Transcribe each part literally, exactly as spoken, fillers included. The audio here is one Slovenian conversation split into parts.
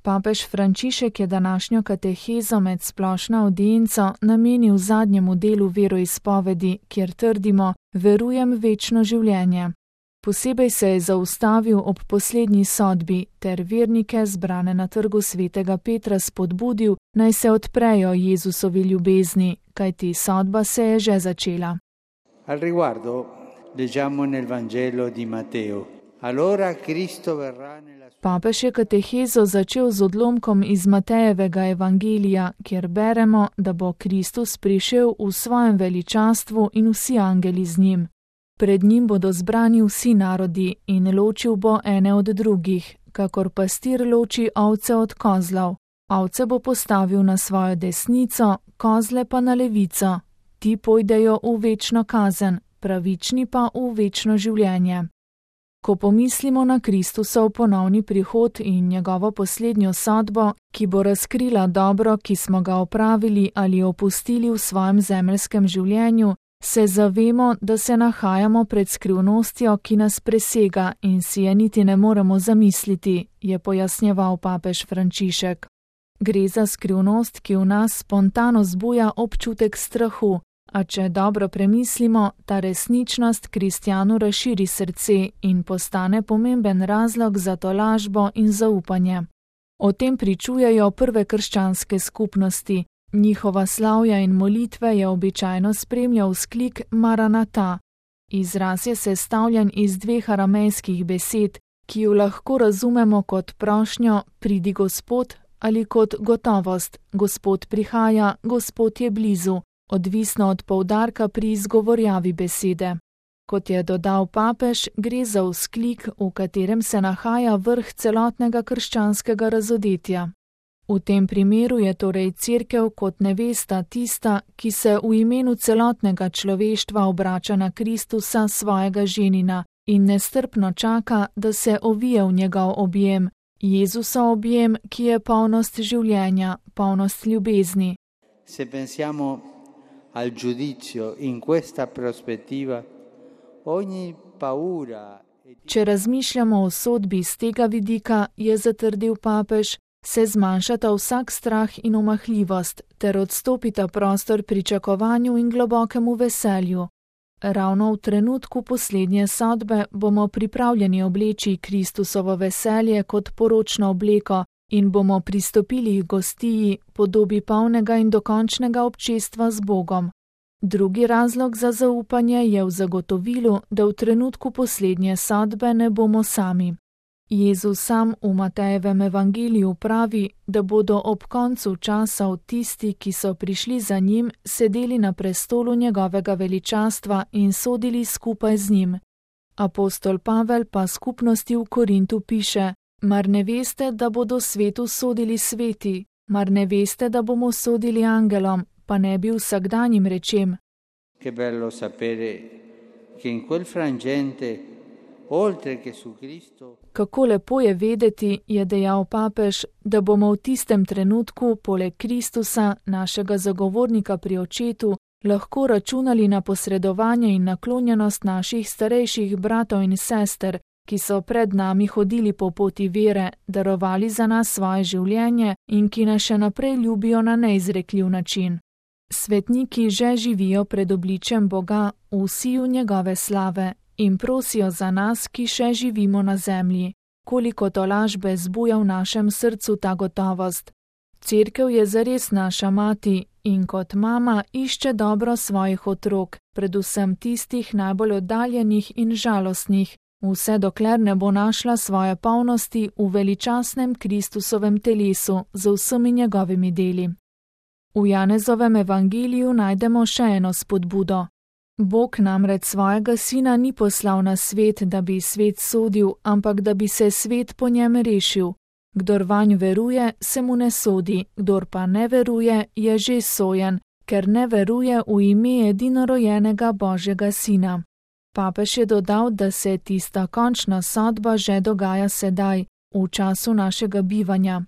Papež Frančišek je današnjo katehezo med splošno avdienco namenil zadnjemu delu veroizpovedi, kjer trdimo: verujem v večno življenje. Posebej se je zaustavil ob poslednji sodbi ter vernike, zbrane na trgu svetega Petra, spodbudil, naj se odprejo Jezusovi ljubezni, kajti sodba se je že začela. Al riguardo leggiamo nel Vangelo di Matteo. Allora Cristo verrà nella sua... Papež je katehezo začel z odlomkom iz Matejevega evangelija, kjer beremo, da bo Kristus prišel v svojem veličastvu in vsi angeli z njim. Pred njim bodo zbrani vsi narodi in ločil bo ene od drugih, kakor pastir loči ovce od kozlov. Ovce bo postavil na svojo desnico, kozle pa na levico. Ti pojdejo v večno kazen, pravični pa v večno življenje. Ko pomislimo na Kristusov ponovni prihod in njegovo poslednjo sodbo, ki bo razkrila dobro, ki smo ga opravili ali opustili v svojem zemeljskem življenju, se zavemo, da se nahajamo pred skrivnostjo, ki nas presega in si je niti ne moremo zamisliti, je pojasnjeval papež Frančišek. Gre za skrivnost, ki v nas spontano zbuja občutek strahu, a če dobro premislimo, ta resničnost kristjanu razširi srce in postane pomemben razlog za tolažbo in zaupanje. O tem pričujejo prve krščanske skupnosti. Njihova slavja in molitve je običajno spremljal vzklik Maranata. Izraz je sestavljen iz dveh aramejskih besed, ki jo lahko razumemo kot prošnjo pridi Gospod ali kot gotovost, Gospod prihaja, Gospod je blizu, odvisno od poudarka pri izgovorjavi besede. Kot je dodal papež, gre za vzklik, v katerem se nahaja vrh celotnega krščanskega razodetja. V tem primeru je torej Cerkev kot nevesta tista, ki se v imenu celotnega človeštva obrača na Kristusa, svojega ženina, in nestrpno čaka, da se ovije v njegov objem, Jezusov objem, ki je polnost življenja, polnost ljubezni. Se pensiamo al giudizio in questa prospettiva, ogni paura... Če razmišljamo o sodbi z tega vidika, je zatrdil papež, se zmanjšata vsak strah in omahljivost, ter odstopita prostor pričakovanju in globokemu veselju. Ravno v trenutku poslednje sodbe bomo pripravljeni obleči Kristusovo veselje kot poročno obleko in bomo pristopili k gostiji, podobi polnega in dokončnega občestva z Bogom. Drugi razlog za zaupanje je v zagotovilu, da v trenutku poslednje sodbe ne bomo sami. Jezus sam v Matejevem evangeliju pravi, da bodo ob koncu časov tisti, ki so prišli za njim, sedeli na prestolu njegovega veličastva in sodili skupaj z njim. Apostol Pavel pa skupnosti v Korintu piše: mar ne veste, da bodo svetu sodili sveti, mar ne veste, da bomo sodili angelom, pa ne bi vsakdanjim rečem. Che bello sapere che in quel frangente oltre che su Cristo. Kako lepo je vedeti, je dejal papež, da bomo v tistem trenutku poleg Kristusa, našega zagovornika pri očetu, lahko računali na posredovanje in naklonjenost naših starejših bratov in sester, ki so pred nami hodili po poti vere, darovali za nas svoje življenje in ki nas še naprej ljubijo na neizrekljiv način. Svetniki že živijo pred obličjem Boga v siju njegove slave in prosijo za nas, ki še živimo na zemlji. Koliko tolažbe zbuja v našem srcu ta gotovost. Cerkev je zares naša mati in kot mama išče dobro svojih otrok, predvsem tistih najbolj oddaljenih in žalostnih, vse dokler ne bo našla svoje polnosti v veličastnem Kristusovem telesu z vsemi njegovimi deli. V Janezovem evangeliju najdemo še eno spodbudo. Bog namreč svojega sina ni poslal na svet, da bi svet sodil, ampak da bi se svet po njem rešil. Kdor vanj veruje, se mu ne sodi, kdor pa ne veruje, je že sojen, ker ne veruje v ime edinorojenega Božjega sina. Papež je dodal, da se tista končna sodba že dogaja sedaj, v času našega bivanja.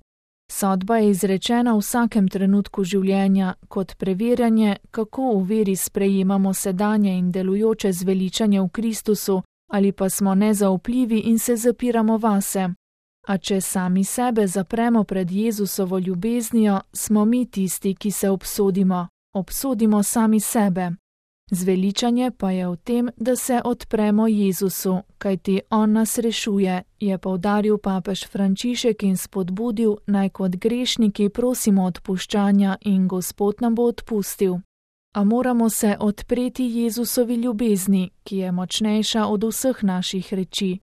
Sodba je izrečena v vsakem trenutku življenja kot preverjanje, kako v veri sprejemamo sedanje in delujoče zveličanje v Kristusu, ali pa smo nezaupljivi in se zapiramo vase. A če sami sebe zapremo pred Jezusovo ljubeznijo, smo mi tisti, ki se obsodimo, obsodimo sami sebe. Zveličanje pa je v tem, da se odpremo Jezusu, kajti on nas rešuje, je poudaril papež Frančišek in spodbudil, naj kot grešniki prosimo odpuščanja in Gospod nam bo odpustil. A moramo se odpreti Jezusovi ljubezni, ki je močnejša od vseh naših reči.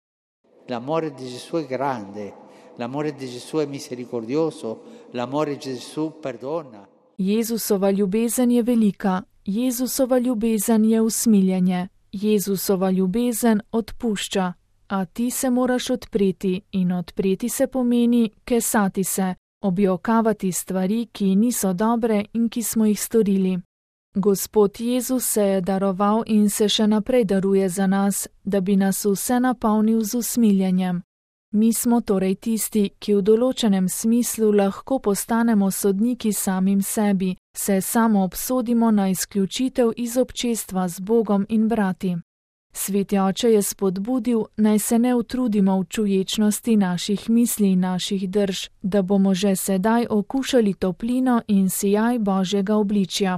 L'amore di Gesù è grande, l'amore di Gesù è misericordioso, l'amore di Gesù perdona. Jezusova ljubezen je velika, Jezusova ljubezen je usmiljenje, Jezusova ljubezen odpušča, a ti se moraš odpreti in odpreti se pomeni kesati se, objokavati stvari, ki niso dobre in ki smo jih storili. Gospod Jezus se je daroval in se še naprej daruje za nas, da bi nas vse napolnil z usmiljenjem. Mi smo torej tisti, ki v določenem smislu lahko postanemo sodniki samim sebi, se samo obsodimo na izključitev iz občestva z Bogom in brati. Sveti oče je spodbudil, naj se ne utrudimo v čuječnosti naših misli in naših drž, da bomo že sedaj okušali toplino in sijaj Božjega obličja.